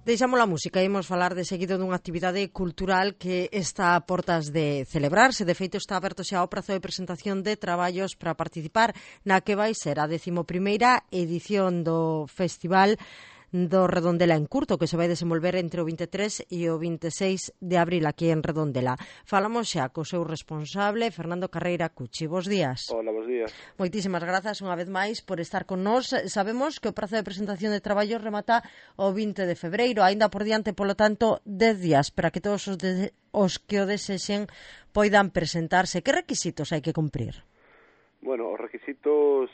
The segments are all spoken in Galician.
Deixamos a música e imos falar de seguido dunha actividade cultural que está a portas de celebrarse. De feito, está aberto xa o prazo de presentación de traballos para participar na que vai ser a 11ª edición do Festival do Redondela en Curto, que se vai desenvolver entre o 23 e o 26 de abril aquí en Redondela. Falamos xa co seu responsable, Fernando Carreira Cuchi. Bos días. Hola, bos días. Moitísimas grazas unha vez máis por estar con nós. Sabemos que o prazo de presentación de traballos remata o 20 de febreiro, aínda por diante, polo tanto, 10 días para que todos os que o desexen poidan presentarse. Que requisitos hai que cumprir? Bueno, os requisitos...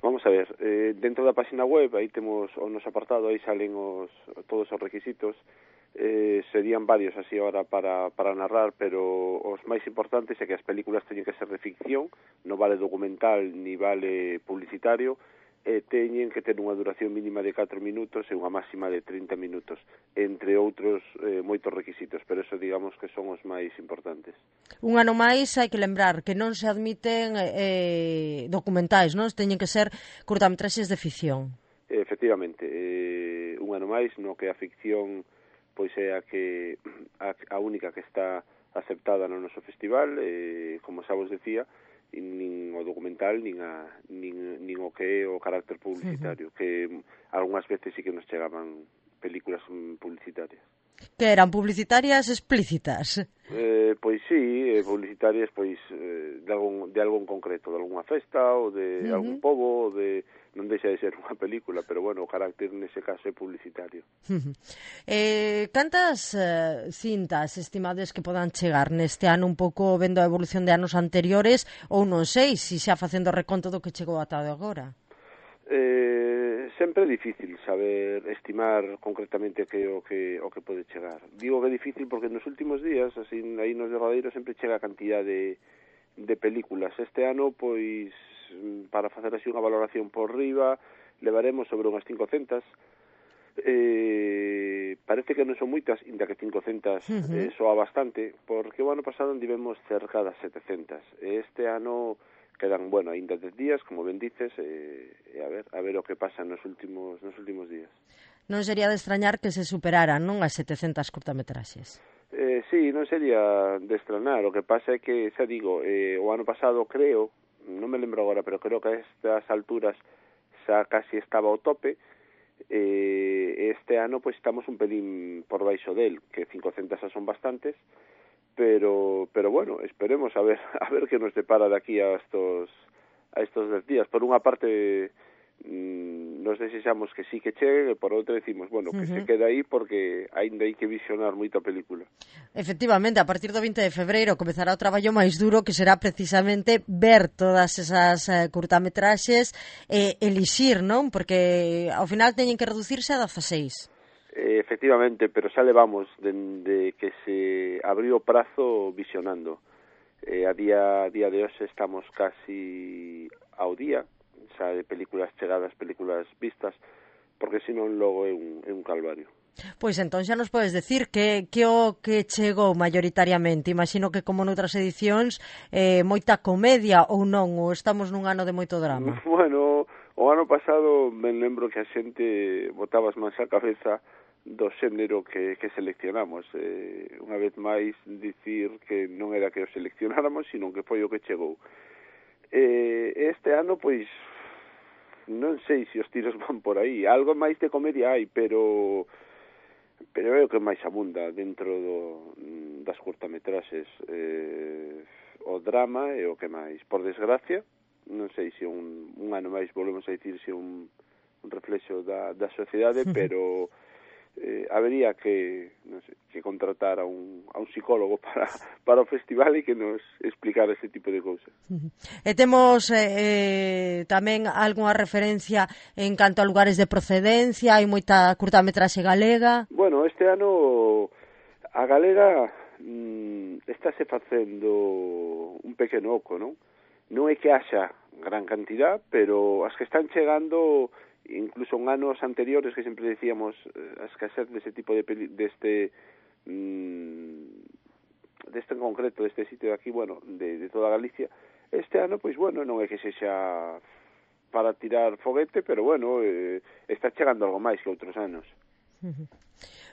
Vamos a ver, dentro da página web, aí temos o noso apartado, aí salen todos os requisitos, serían varios así ahora para narrar, pero os máis importantes é que as películas teñen que ser de ficción, non vale documental ni vale publicitario, teñen que ter unha duración mínima de 4 minutos e unha máxima de 30 minutos, entre outros moitos requisitos, pero eso digamos que son os máis importantes. Un ano máis hai que lembrar que non se admiten documentais, non? Teñen que ser curtametraxes de ficción. Efectivamente, un ano máis no que a ficción pois é a única que está aceptada no noso festival, como xa vos decía, nin o documental nin o que é o carácter publicitario, que algunhas veces sí que nos chegaban películas publicitarias. Que eran publicitarias explícitas? Pois sí, publicitarias pois de algo en concreto, de algunha festa ou de algún pobo, ou de non deixa de ser unha película, pero bueno, o carácter nese caso é publicitario. Cantas cintas estimades que podan chegar neste ano, un pouco vendo a evolución de anos anteriores, ou non sei, se xa facendo reconto do que chegou ata agora? Sempre é difícil saber estimar concretamente que o que pode chegar. Digo que é difícil porque nos últimos días, así aí nos derradeiros sempre chega a cantidad de películas. Este ano, pois, para facer así unha valoración por riba, levaremos sobre unhas 500. Parece que non son moitas, inda que 500 soa bastante, porque o ano pasado andivemos cerca das 700. Este ano quedan, bueno, aínda 10 días, como ben dices, a ver o que pasa nos últimos días. Non sería de extrañar que se superaran, non, as 700 curtametraxes? Sí, non sería de extrañar. O que pasa é que, xa digo, o ano pasado creo, non me lembro agora, pero creo que a estas alturas xa casi estaba ao tope. Este ano, pois, estamos un pelín por baixo del, que 500 xa son bastantes, pero bueno, esperemos a ver que nos depara de aquí a estos 10 días. Por unha parte nos desexamos que sí que chegue, e por outra decimos, bueno, que se quede aí porque aínda hai que visionar moita película. Efectivamente, a partir do 20 de febreiro comezará o traballo máis duro, que será precisamente ver todas esas curtametraxes e elixir, non? Porque ao final teñen que reducirse a 16. Efectivamente, pero xa levamos dende que se abriu o prazo visionando. A día de hoxe estamos casi ao día, xa de películas chegadas, películas vistas, porque senón logo é un calvario. Pois entón xa nos podes decir que o que chegou maioritariamente. Imagino que como noutras edicións moita comedia ou non, ou estamos nun ano de moito drama. Bueno, o ano pasado me lembro que a xente botaba as mans á cabeza do xénero que seleccionamos. Unha vez máis dicir que non era que o seleccionáramos, sino que foi o que chegou. Este ano, pois, non sei se os tiros van por aí. Algo máis de comedia hai, pero é o que máis abunda dentro das curtametraxes. O drama é o que máis. Por desgracia, non sei se un ano máis volvemos a dicir se un reflexo da sociedade, pero habería que, non sei, que contratar a un psicólogo para o festival e que nos explicara ese tipo de cousas. E temos tamén algunha referencia en canto a lugares de procedencia? Hai moita curtametraxe galega? Bueno, este ano a galega estáse facendo un pequeno oco, non? Non é que haxa gran cantidad, pero as que están chegando, incluso en anos anteriores que sempre decíamos a escasez deste tipo deste en concreto, deste sitio de aquí, bueno, de toda Galicia, este ano, pois, bueno, non é que sexa para tirar foguete, pero bueno, está chegando algo máis que outros anos.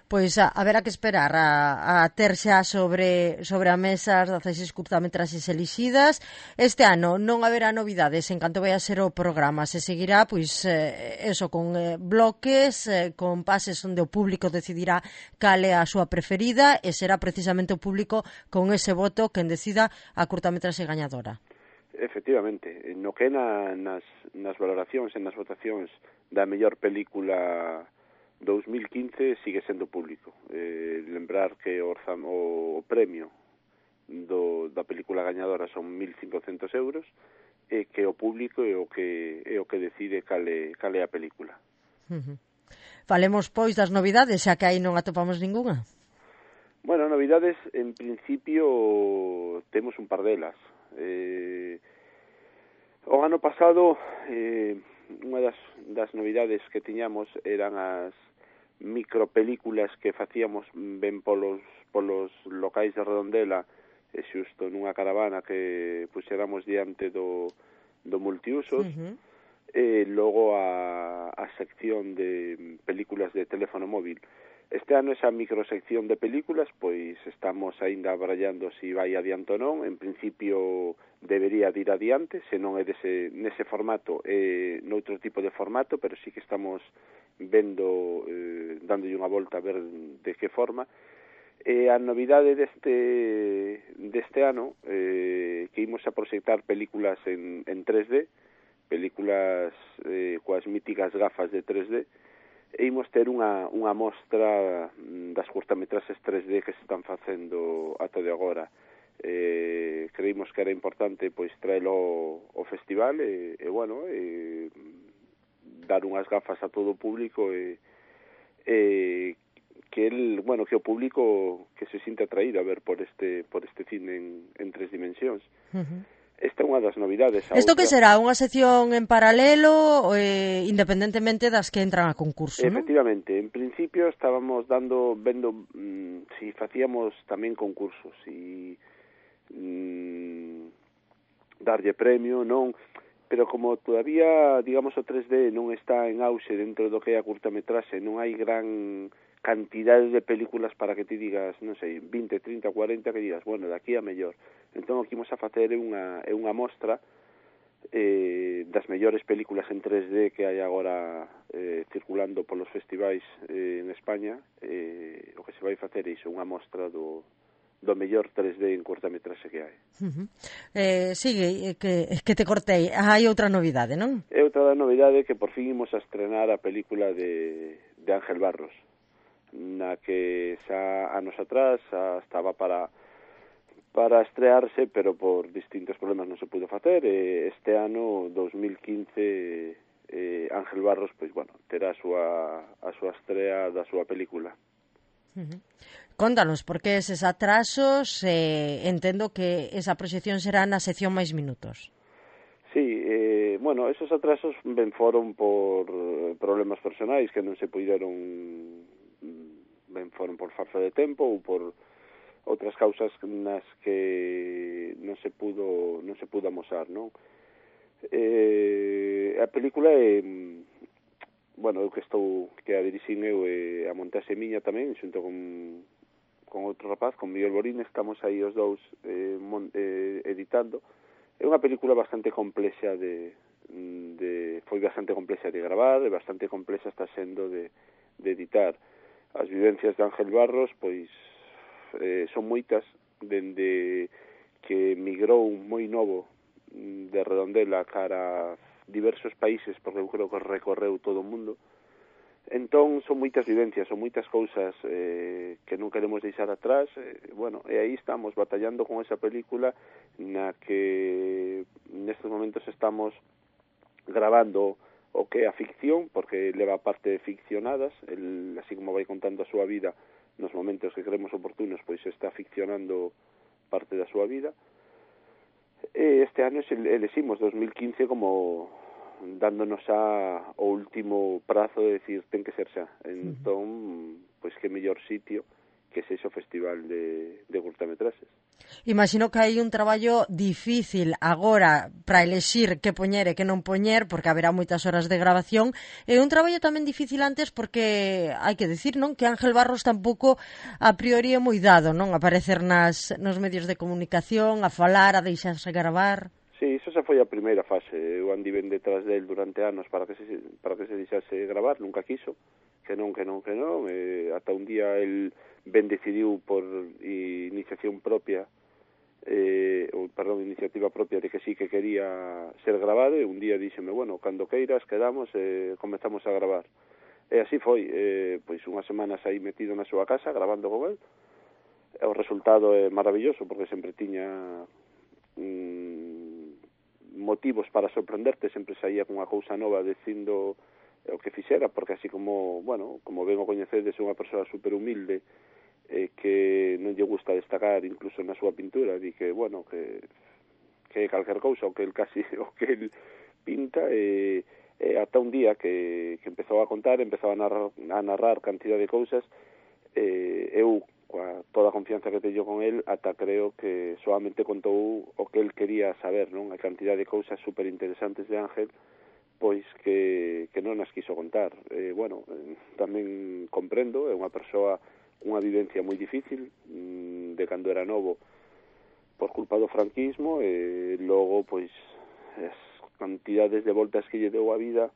Pois haberá que esperar a ter xa sobre a mesa as 16 curtametraxes elixidas. Este ano non haberá novidades en canto vai a ser o programa. Se seguirá, pois, eso, con bloques, con pases onde o público decidirá cal é a súa preferida e será precisamente o público con ese voto quen decida a curtametraxe gañadora. Efectivamente, no que nas valoracións e nas votacións da mellor película 2015 sigue sendo público. Lembrar que o premio da película gañadora son 1.500 euros e que o público é o que decide cal é a película. Falemos, pois, das novidades, xa que aí non atopamos ningunha. Bueno, novidades, en principio, temos un par delas. O ano pasado, unha das novidades que tiñamos eran as micropelículas que facíamos ben polos locais de Redondela, e xusto nunha caravana que puxéramos diante do multiusos, e logo a sección de películas de teléfono móvil. Este ano esa microsección de películas, pois estamos aínda abrallando se vai adiante ou non. En principio debería de ir adiante, se non é nese formato, noutro tipo de formato, pero sí que estamos vendo, dándolle unha volta a ver de que forma. A novidade deste ano, que imos a proxectar películas en 3D, películas coas míticas gafas de 3D, e imos ter unha mostra das curtametraxes 3D que se están facendo ata de agora. Creímos que era importante pois traelo ao festival e bueno, dar unhas gafas a todo o público e que o público que se sinte atraído a ver por este cine en 3 dimensións. Esta é unha das novidades. Isto que será? Unha sección en paralelo, independentemente das que entran a concurso, non? Efectivamente. En principio estábamos vendo si facíamos tamén concursos, si darlle premio, non, pero como todavía, digamos, o 3D non está en auxe dentro do que é a curtametraxe, non hai gran cantidade de películas para que ti digas, non sei, 20, 30, 40, que digas, bueno, daqui a mellor. Entón, o que imos a facer é unha mostra das mellores películas en 3D que hai agora circulando polos festivais en España. O que se vai facer é iso, unha mostra do mellor 3D en curtametraxe que hai. Sigue, que te cortei. Hai outra novidade, non? É outra novidade que por fin imos a estrenar a película de Ángel Barros, na que xa anos atrás estaba para estrearse, pero por distintos problemas non se pudo facer. Este ano, 2015, Ángel Barros, pois, bueno, terá a súa estrea da súa película. Contanos, por que eses atrasos? Entendo que esa proxección será na sección máis minutos. Sí, bueno, esos atrasos ben foron por problemas personais que non se puideron, ben foron por falta de tempo ou por outras causas nas que non se pudo amosar, non? A película é, bueno, eu que a dirixín eu e a montaxe miña tamén, xunto con outro rapaz, con Miguel Borín, estamos aí os dous editando. É unha película bastante complexa foi bastante complexa de gravar e bastante complexa está sendo de editar. As vivencias de Ángel Barros, pois, son moitas, dende que migrou moi novo de Redondela cara a diversos países, porque eu creo que recorreu todo o mundo. Entón, son moitas vivencias, son moitas cousas que non queremos deixar atrás. Bueno, e aí estamos batallando con esa película na que nestes momentos estamos gravando o que é a ficción, porque leva parte ficcionadas, así como vai contando a súa vida nos momentos que creemos oportunos, pois está ficcionando parte da súa vida. Este ano eleximos 2015 como dándonos o último prazo de decir ten que ser xa. Entón, pois que mellor sitio sexa o festival de curtametraxes. Imagino que hai un traballo difícil agora para elexir que poñer e que non poñer, porque haberá moitas horas de grabación, e un traballo tamén difícil antes porque hai que decir, non, que Ángel Barros tampouco a priori é moi dado, non, aparecer nos medios de comunicación, a falar, a deixarse gravar. Sí, iso xa foi a primeira fase. Eu andiven detrás del durante anos para que se deixase gravar, nunca quiso, que non, ata un día el ben decidiu por iniciativa propia de que sí que quería ser grabado, e un día díxeme, bueno, cando queiras quedamos e comezamos a gravar. E así foi, pois unhas semanas aí metido na súa casa grabando con el. E o resultado é maravilloso porque sempre tiña motivos para sorprenderte, sempre saía con unha cousa nova dicindo o que fixera, porque así como, bueno, como ben o coñecedes, é unha persoa super humilde, que non lle gusta destacar incluso na súa pintura, di que, bueno, que calquer cousa, o que el pinta, ata un día que empezou a contar, empezou a narrar cantidad de cousas, eu, coa toda a confianza que teño con el, ata creo que solamente contou o que el quería saber, non? A cantidad de cousas super interesantes de Ángel, pois que non as quiso contar. Bueno, tamén comprendo, é unha persoa, unha vivencia moi difícil de cando era novo por culpa do franquismo, e logo, pois, as cantidades de voltas que lle deu a vida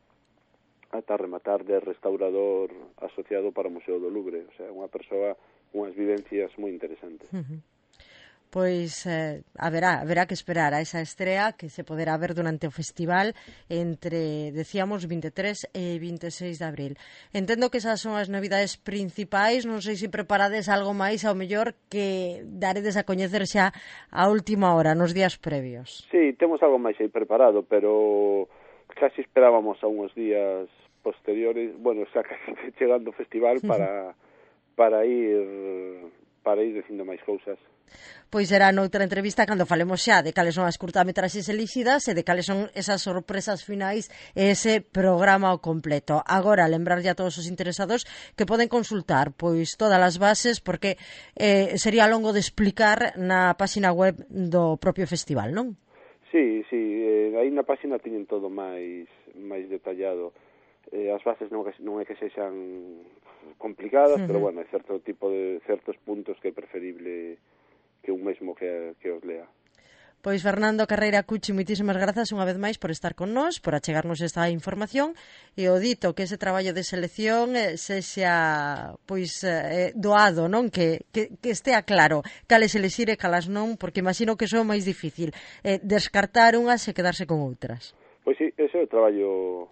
ata rematar de restaurador asociado para o Museo do Louvre. O sea, unha persoa unhas vivencias moi interesantes. Pois haberá que esperar a esa estrea que se poderá ver durante o festival entre, decíamos, 23 e 26 de abril. Entendo que esas son as novidades principais, non sei se preparades algo máis ao mellor que daredes a coñecer xa a última hora, nos días previos. Sí, temos algo máis aí preparado, pero casi esperábamos a uns días posteriores, bueno, xa casi chegando o festival para ir dicindo máis cousas. Pois será noutra entrevista cando falemos xa de cales son as curtametraxes elixidas e de cales son esas sorpresas finais e ese programa ao completo. Agora, lembrarlle a todos os interesados que poden consultar pois todas as bases, porque sería longo de explicar na página web do propio festival, non? Sí, aí na página teñen todo máis detallado. As bases non é que sexan complicadas, pero bueno, hai certos puntos que é preferible que un mesmo que os lea. Pois Fernando Carreira Cuchi, moitísimas grazas unha vez máis por estar con nós, por achegarnos esta información, e o dito que ese traballo de selección sexa pois doado, non? Que estea claro cales elixir e calas non, porque imagino que iso é máis difícil, descartar unhas e quedarse con outras. Pois sí, ese é o traballo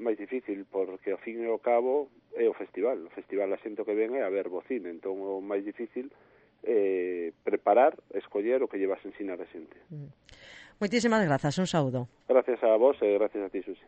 máis difícil, porque ao fin e ao cabo é o festival. O festival, a xente que ven é a ver bo cine, entón o máis difícil preparar, escoller o que llevas a ensinar a xente. Moitísimas grazas, un saúdo. Gracias a vos e gracias a ti, Susi.